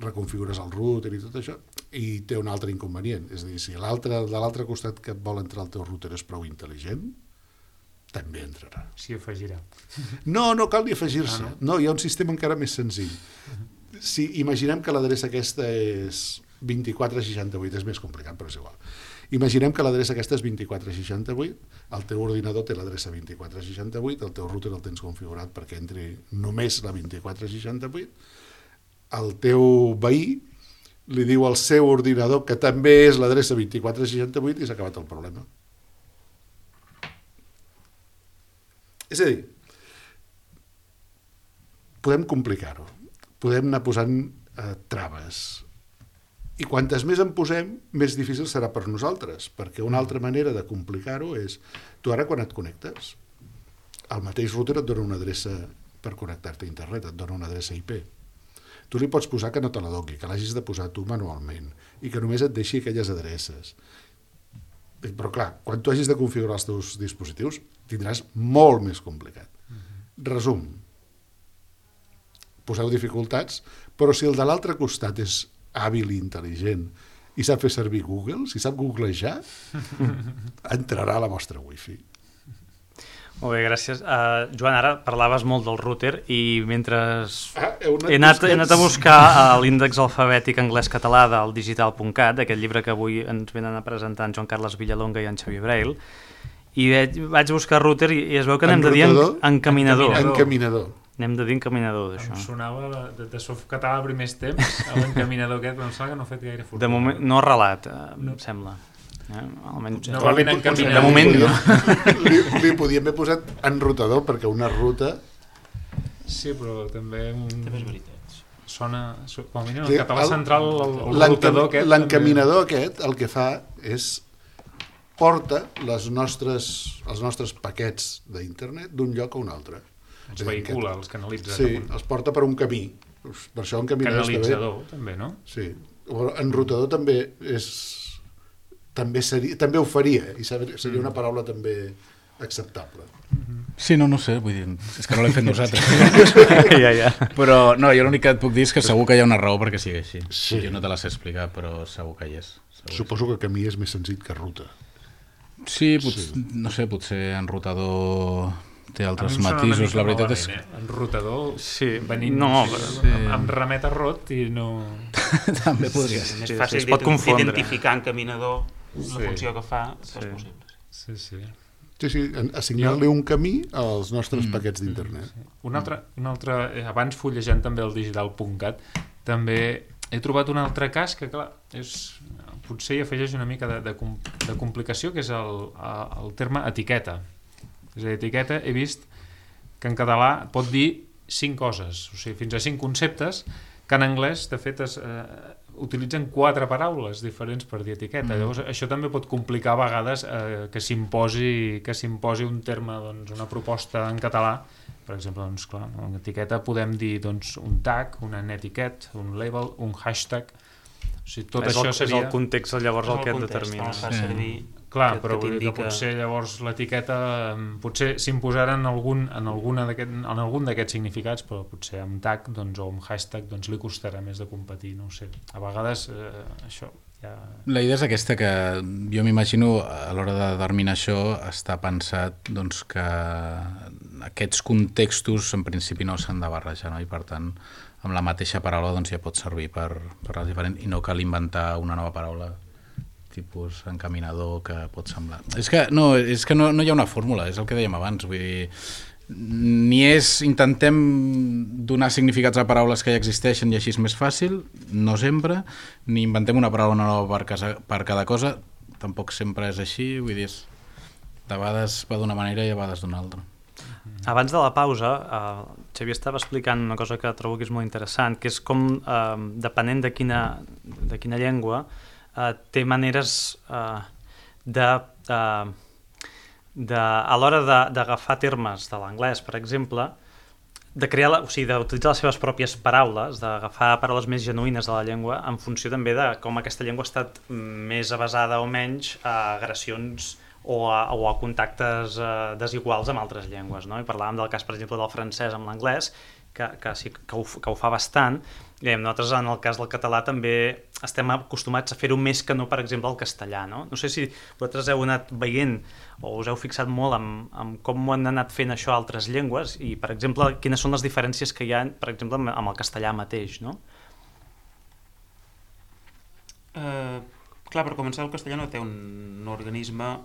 reconfigures el router i tot això, i té un altre inconvenient, és a dir, si de l'altre costat que et vol entrar al teu router és prou intel·ligent, també entrarà. S'hi afegirà. No cal ni afegir-se. No, hi ha un sistema encara més senzill. Si imaginem que l'adreça aquesta és 2468, és més complicat, però és igual. Imaginem que l'adreça aquesta és 2468, el teu ordinador té l'adreça 2468, el teu router el tens configurat perquè entri només la 2468, el teu veí li diu al seu ordinador que també és l'adreça 2468 i s'ha acabat el problema. És a dir, podem complicar-ho. Podem anar posant traves. I quantes més en posem, més difícil serà per nosaltres, perquè una altra manera de complicar-ho és, tu ara quan et connectes, el mateix router et dona una adreça per connectar-te a internet, et dona una adreça IP. Tu li pots posar que no te la doni, que l'hagis de posar tu manualment, i que només et deixi aquelles adreces. Però clar, quan tu hagis de configurar els teus dispositius, tindràs molt més complicat. Resum. Poseu dificultats, però si el de l'altre costat és hàbil i intel·ligent i sap fer servir Google, si sap googlejar, entrarà a la vostra wifi. Molt bé, gràcies. Joan, ara parlaves molt del router i mentre he anat a buscar l'índex alfabètic anglès-català del digital.cat, aquest llibre que avui ens venen a presentar en Joan Carles Villalonga i en Xavier Braille, i vaig buscar router i es veu que anem de dir encaminador. Anem de dir encaminador, d'això. Em sonava de softcatalà a primers temps, l'encaminador aquest, però em sembla que no ha fet gaire fortuna. De moment, no relat, em sembla. Normalment encaminador. De moment no. Li podíem haver posat enrutador, perquè una ruta... Sí, però també... També és veritat. Sona, com a mínim, el català central, el rutador aquest... L'encaminador aquest el que fa és porta els nostres paquets d'internet d'un lloc a un altre. Els vehicula, els canalitza. Sí, els porta per un camí. Per això canalitzador, també, no? Sí. Enrutador també ho faria, i seria una paraula també acceptable. Sí, no sé, vull dir, és que no l'hem fet nosaltres. Ja. Però no, jo l'únic que et puc dir és que segur que hi ha una raó perquè sigui així. Sí. Jo no te la sé explicar, però segur que hi és. Suposo que camí és més senzill que ruta. Sí, no sé, potser enrutador té altres matisos, la veritat és... Enrutador, venint, em remet a rot i no... També podria ser. És més fàcil d'identificar en caminador la funció que fa, és possible. Sí. Sí, assignar-li un camí als nostres paquets d'internet. Un altre, abans fullejant també el digital.cat, també he trobat un altre cas que, clar, potser hi afegeix una mica de complicació, que és el terme etiqueta. És a dir, etiqueta he vist que en català pot dir 5 coses, o sigui, fins a 5 conceptes, que en anglès, de fet, utilitzen 4 paraules diferents per dir etiqueta. Llavors, això també pot complicar a vegades que s'imposi un terme, una proposta en català. Per exemple, clar, en etiqueta podem dir un tag, un etiquet, un label, un hashtag. O sigui, tot això seria... És el context llavors el que et determina. Clar, però que potser llavors l'etiqueta potser s'imposarà en algun d'aquests significats, però potser amb tag o amb hashtag li costarà més de competir, no ho sé. A vegades això ja... La idea és aquesta, que jo m'imagino a l'hora de determinar això està pensat que aquests contextos en principi no s'han de barrejar, no? I per tant amb la mateixa paraula ja pot servir per les diferents, i no cal inventar una nova paraula tipus encaminador que pot semblar. És que no hi ha una fórmula, és el que dèiem abans, vull dir, intentem donar significats a paraules que ja existeixen i així és més fàcil, no sempre, ni inventem una paraula nova per cada cosa, tampoc sempre és així, vull dir, de vegades va d'una manera i a vegades d'una altra. Abans de la pausa, Xavier estava explicant una cosa que trobo que és molt interessant, que és com, depenent de quina llengua, té maneres a l'hora d'agafar termes de l'anglès, per exemple, d'utilitzar les seves pròpies paraules, d'agafar paraules més genuïnes de la llengua en funció també de com aquesta llengua ha estat més avasada o menys a agressions o a contactes desiguals amb altres llengües, no? I parlàvem del cas, per exemple, del francès amb l'anglès, que ho fa bastant. Nosaltres, en el cas del català, també estem acostumats a fer-ho més que no, per exemple, el castellà, no? No sé si vosaltres heu anat veient o us heu fixat molt en com ho han anat fent això a altres llengües i, per exemple, quines són les diferències que hi ha, per exemple, amb el castellà mateix, no? Clar, per començar, el castellà no té un organisme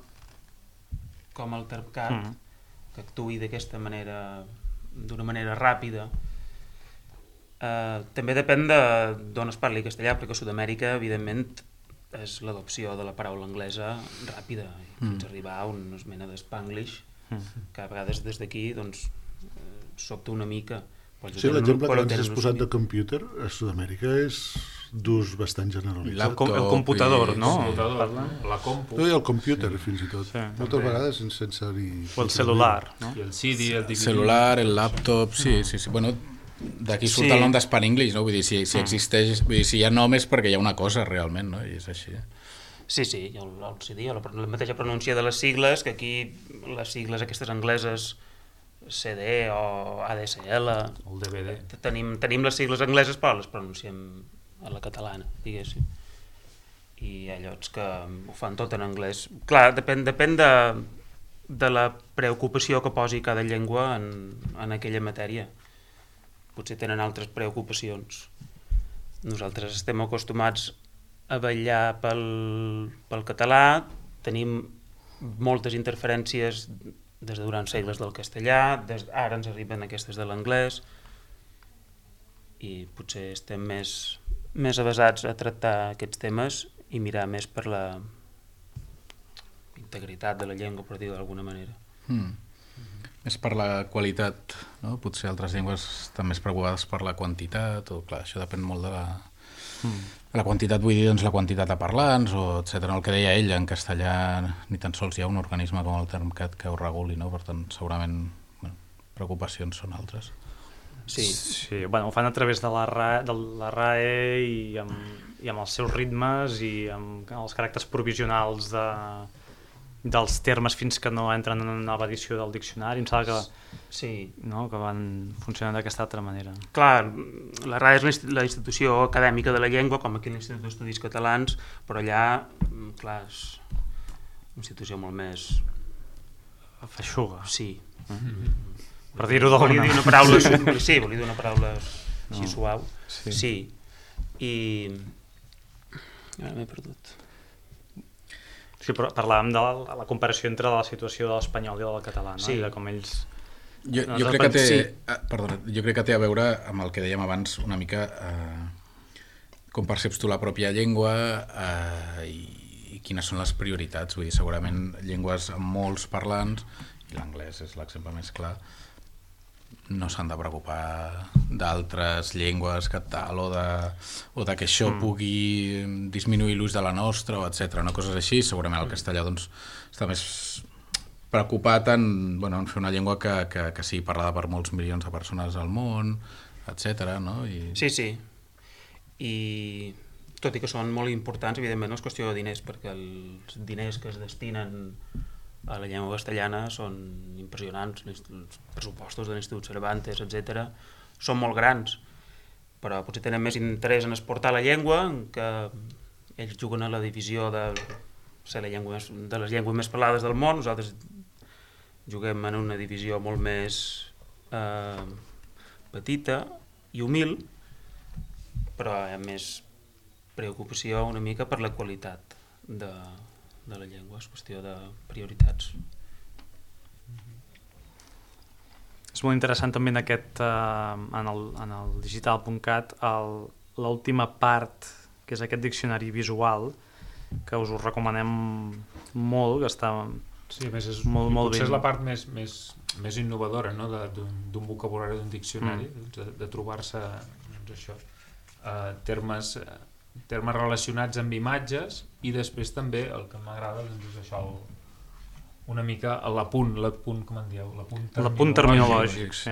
com el TERPCAT que actuï d'aquesta manera, d'una manera ràpida. També depèn d'on es parli castellà, perquè a Sud-amèrica, evidentment, és l'adopció de la paraula anglesa ràpida, fins a arribar a una mena d'Spanglish, que a vegades des d'aquí sobta una mica. Sí, l'exemple que ens has posat de computer a Sud-amèrica és d'ús bastant generalitzat. El computador, no? La compu. I el computer, fins i tot. Moltes vegades sense dir... O el celular, no? I el CD, el DVD. El celular, el laptop, sí. Bueno, d'aquí surt el nom d'Spanglish, no? Vull dir, si existeix, vull dir, si hi ha nom és perquè hi ha una cosa realment, no? I és així. Sí, el CD, la mateixa pronúncia de les sigles, que aquí les sigles aquestes angleses, CD o ADSL, el DVD. Tenim les sigles angleses però les pronunciem a la catalana, diguéssim. I hi ha llocs que ho fan tot en anglès. Clar, depèn de la preocupació que posi cada llengua en aquella matèria. Potser tenen altres preocupacions. Nosaltres estem acostumats a vetllar pel català, tenim moltes interferències des de durant segles del castellà, ara ens arriben aquestes de l'anglès i potser estem més avesats a tractar aquests temes i mirar més per la integritat de la llengua, per dir-ho d'alguna manera. Més per la qualitat, no? Potser altres llengües estan més preocupades per la quantitat, o clar, això depèn molt de la quantitat, vull dir, doncs la quantitat de parlants, o etcètera. El que deia ell, en castellà ni tan sols hi ha un organisme com el TERPCAT que ho reguli, no? Per tant, segurament preocupacions són altres. Sí, ho fan a través de la RAE i amb els seus ritmes i amb els caràcters provisionals dels termes fins que no entren en una nova edició del diccionari. Em sembla que van funcionant d'aquesta altra manera. Clar, la RAE és la institució acadèmica de la llengua, com aquí l'Institut d'Estudis Catalans, però allà, clar, és una institució molt més... feixuga. Sí. Per dir-ho d'alguna manera. Sí, volia dir una paraula així suau. Sí. I... ara m'he perdut. Sí, però parlàvem de la comparació entre la situació de l'espanyol i del català, no? Sí. I de com ells... Jo crec que té... Perdona, jo crec que té a veure amb el que dèiem abans una mica com perceps tu la pròpia llengua i quines són les prioritats. Vull dir, segurament llengües amb molts parlants, i l'anglès és l'exemple més clar, no s'han de preocupar d'altres llengües que tal, o de que això pugui disminuir l'ús de la nostra, etc. No, coses així. Segurament el castellà doncs, està més preocupat en fer una llengua que sigui parlada per molts milions de persones al món, etc. No? Sí. I tot i que són molt importants, evidentment no és qüestió de diners, perquè els diners que es destinen a la llengua castellana són impressionants, els pressupostos de l'Institut Cervantes, etc. són molt grans, però potser tenen més interès en exportar la llengua, en què ells juguen a la divisió de ser de les llengües més parlades del món, nosaltres juguem en una divisió molt més petita i humil, però hi ha més preocupació una mica per la qualitat de la llengua, és qüestió de prioritats. És molt interessant també en el digital.cat l'última part, que és aquest diccionari visual, que us ho recomanem molt, que està molt bé. Potser és la part més innovadora, no? d'un vocabulari, d'un diccionari, de trobar-se termes relacionats amb imatges, i després també el que m'agrada és això, una mica l'apunt, com en dieu? L'apunt terminològic, sí.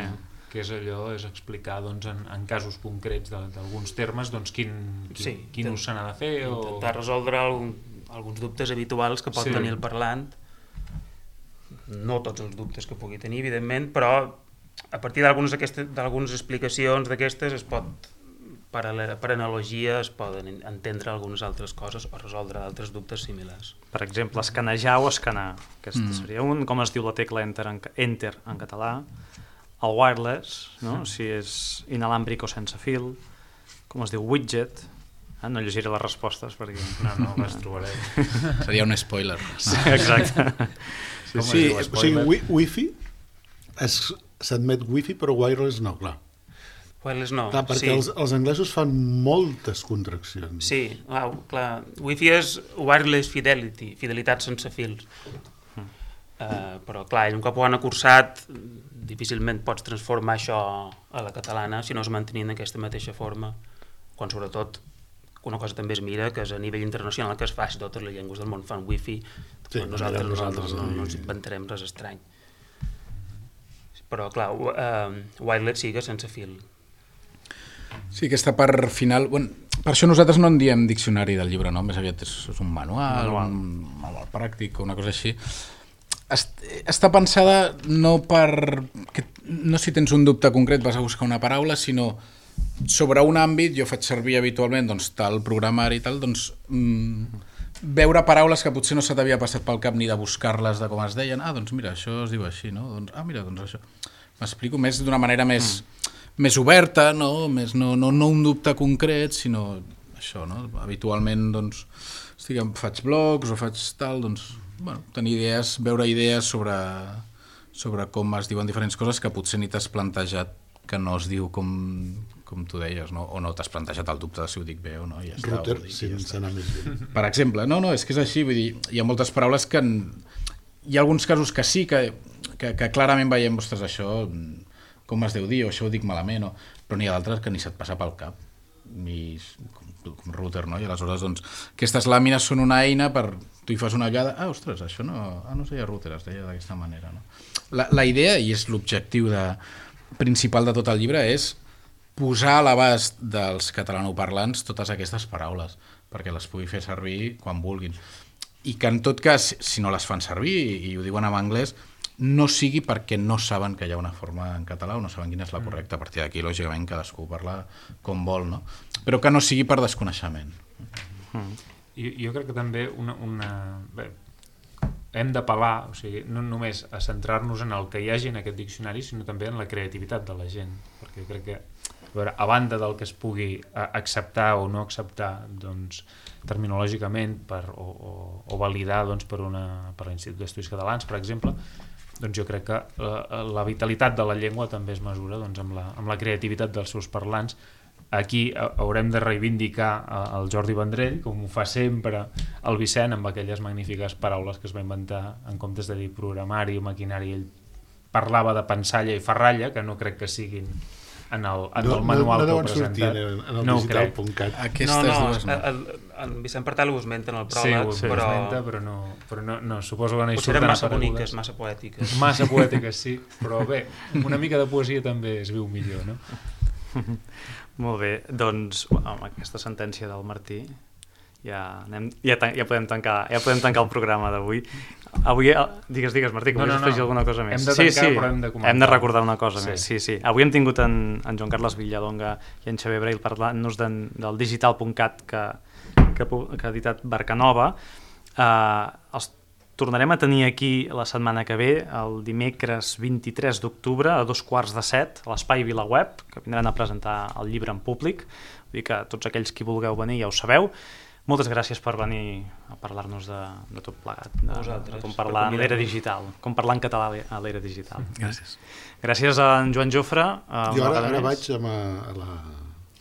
Que és allò, és explicar en casos concrets d'alguns termes quin ús se n'ha de fer. Intentar resoldre alguns dubtes habituals que pot tenir el parlant. No tots els dubtes que pugui tenir, evidentment, però a partir d'algunes explicacions d'aquestes es pot... Per analogia es poden entendre algunes altres coses o resoldre altres dubtes similars. Per exemple, escanejar o escanar. Aquesta seria com es diu la tecla Enter en català. El wireless, no? Si és inalàmbric o sense fil. Com es diu widget. No llegiré les respostes perquè... No, les trobaré. Seria un spoiler. Sí, exacte. O sigui, wifi, s'admet wifi, però wireless no, clar. Wireless no. Clar, perquè els anglesos fan moltes contraccions. Sí, clar. Wi-Fi és wireless fidelity, fidelitat sense fils. Però clar, un cop ho han acursat, difícilment pots transformar això a la catalana si no es mantenint aquesta mateixa forma. Quan sobretot una cosa també es mira, que és a nivell internacional que es fa, si totes les llengües del món fan wifi, nosaltres no ens inventarem res estrany. Però clar, wireless sí que sense fil. Sí, aquesta part final... Per això nosaltres no en diem diccionari del llibre, no? Més aviat és un manual, un manual pràctic, una cosa així. Està pensada no si tens un dubte concret vas a buscar una paraula, sinó sobre un àmbit. Jo faig servir habitualment tal programari i tal, veure paraules que potser no se t'havia passat pel cap ni de buscar-les de com es deien. Doncs mira, això es diu així, no? Mira, doncs això. M'explico més d'una manera més oberta, no un dubte concret, sinó això, no? Habitualment, faig blogs o faig tal, tenir idees, veure idees sobre com es diuen diferents coses que potser ni t'has plantejat que no es diu com tu deies, no? O no t'has plantejat el dubte de si ho dic bé o no. Ja està, Router, sense anar més bé. Per exemple, és que és així, vull dir, hi ha moltes paraules que... Hi ha alguns casos que sí, que clarament veiem, ostres, això... com es deu dir, o això ho dic malament, però n'hi ha d'altres que ni se't passa pel cap, com router, no? I aleshores, aquestes làmines són una eina per... Tu hi fas una ullada, ostres, això no es deia router, es deia d'aquesta manera, no? La idea, i és l'objectiu principal de tot el llibre, és posar a l'abast dels catalanoparlants totes aquestes paraules, perquè les pugui fer servir quan vulguin. i que en tot cas, si no les fan servir i ho diuen en anglès, no sigui perquè no saben que hi ha una forma en català o no saben quina és la correcta. A partir d'aquí, lògicament, cadascú parla com vol, no? Però que no sigui per desconeixement. Jo crec que també Bé, hem d'apel·lar, o sigui, no només a centrar-nos en el que hi hagi en aquest diccionari, sinó també en la creativitat de la gent, perquè jo crec que, a banda del que es pugui acceptar o no acceptar, doncs, terminològicament o validar per l'Institut d'Estudis Catalans, per exemple, doncs jo crec que la vitalitat de la llengua també es mesura amb la creativitat dels seus parlants. Aquí haurem de reivindicar el Jordi Vendrell, com ho fa sempre el Vicent, amb aquelles magnífiques paraules que es va inventar en comptes de dir programari o maquinari. Ell parlava de pensalla i ferralla, que no crec que siguin en el manual que heu presentat. No ho crec. En Vicent Partal ho esmenta en el pròleg, sí, ho esmenta, però no, suposo que no hi surten aparegudes. Massa boniques, massa poètiques. Massa poètiques, sí, però bé, una mica de poesia també es viu millor, no? Molt bé, doncs amb aquesta sentència del Martí ja podem tancar el programa d'avui. Avui, digues Martí, que volies afegir alguna cosa més. Hem de tancar, però hem de comentar. Hem de recordar una cosa més. Sí. Avui hem tingut en Joan Carles Villadonga i en Xavier Brail parlant-nos del digital.cat que ha editat Barcanova. Els tornarem a tenir aquí la setmana que ve, el dimecres 23 d'octubre a 2:15 a l'Espai VilaWeb, que vindran a presentar el llibre en públic. Vull dir que tots aquells qui vulgueu venir ja ho sabeu. Moltes gràcies per venir a parlar-nos de tot plegat, de com parlar en l'era digital, com parlar en català a l'era digital. Gràcies. Gràcies a en Joan Jofre. Jo ara vaig a la...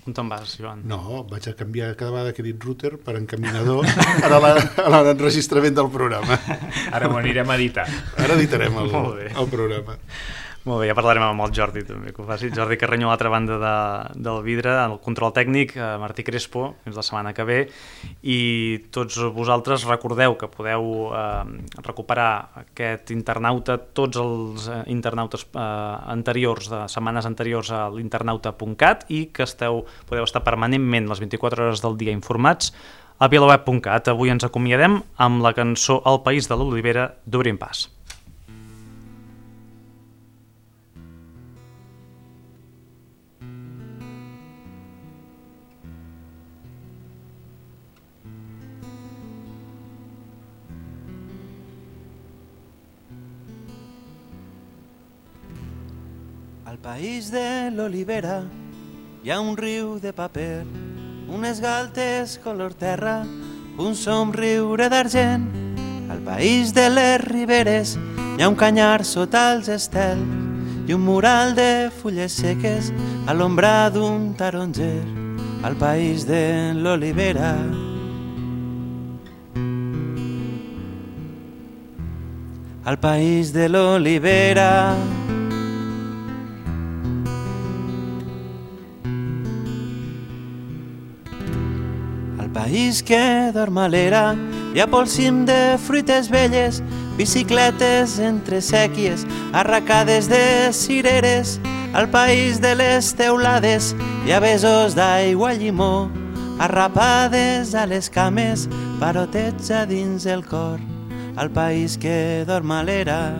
On te'n vas, Joan? No, vaig a canviar cada vegada que he dit router per encaminador a l'enregistrament del programa. Ara ho anirem a editar. Ara editarem el programa. Molt bé, ja parlarem amb el Jordi també, que ho faci. Jordi Carreño a l'altra banda del vidre, el control tècnic, Martí Crespo, fins la setmana que ve. I tots vosaltres recordeu que podeu recuperar aquest internauta, tots els internautes anteriors, de setmanes anteriors a l'internauta.cat i que podeu estar permanentment les 24 hores del dia informats a vilaweb.cat. Avui ens acomiadem amb la cançó El país de l'olivera d'Obrim Pas. Al país de l'olivera hi ha un riu de paper, unes galtes color terra, un somriure d'argent. Al país de les riberes hi ha un canyar sota els estels i un mural de fulles seques a l'ombra d'un taronger. Al país de l'olivera. Al país de l'olivera. País que dorm a l'era, hi ha pel cim de fruites velles, bicicletes entre sèquies, arracades de cireres. Al país de les teulades hi ha besos d'aigua llimó, arrapades a les cames, parotets a dins el cor. Al país que dorm a l'era.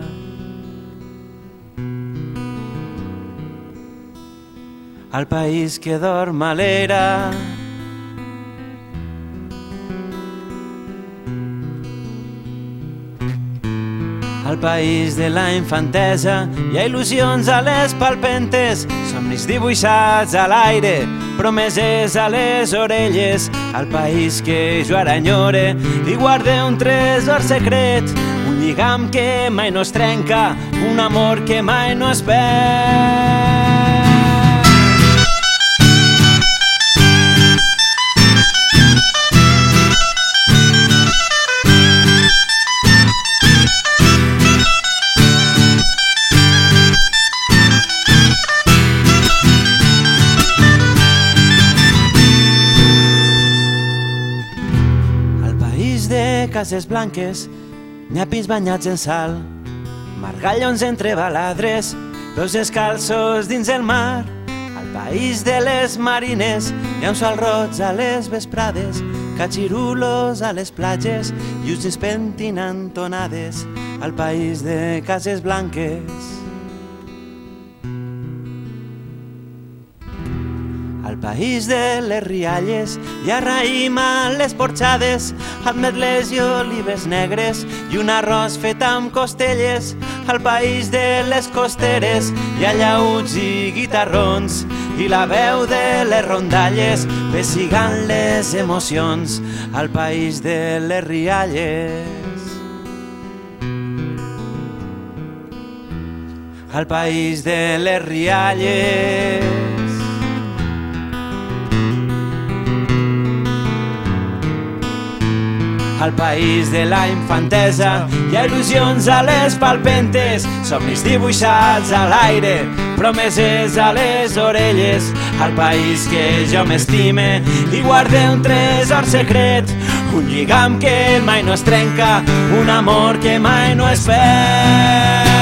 Al país que dorm a l'era. Al país de la infantesa hi ha il·lusions a les palpentes, somnis dibuixats a l'aire, promeses a les orelles. Al país que jo ara enyore hi guarde un tresor secret, un lligam que mai no es trenca, un amor que mai no es perd. Cases blanques, nyapis banyats en sal, margallons entre baladres, peus descalços dins el mar. Al país de les marines hi ha un sol roig a les vesprades catxirulos a les platges i us pentinant tonades al país de cases blanques. Al país de les rialles hi ha raïm a les porxades, ametles i olives negres i un arròs fet amb costelles. Al país de les costeres hi ha llauts i guitarrons i la veu de les rondalles pessigant les emocions. Al país de les rialles, al país de les rialles. Al país de la infantesa hi ha il·lusions a les palpentes, somnis dibuixats a l'aire, promeses a les orelles. Al país que jo m'estime i guarde un tresor secret, un lligam que mai no es trenca, un amor que mai no es perd.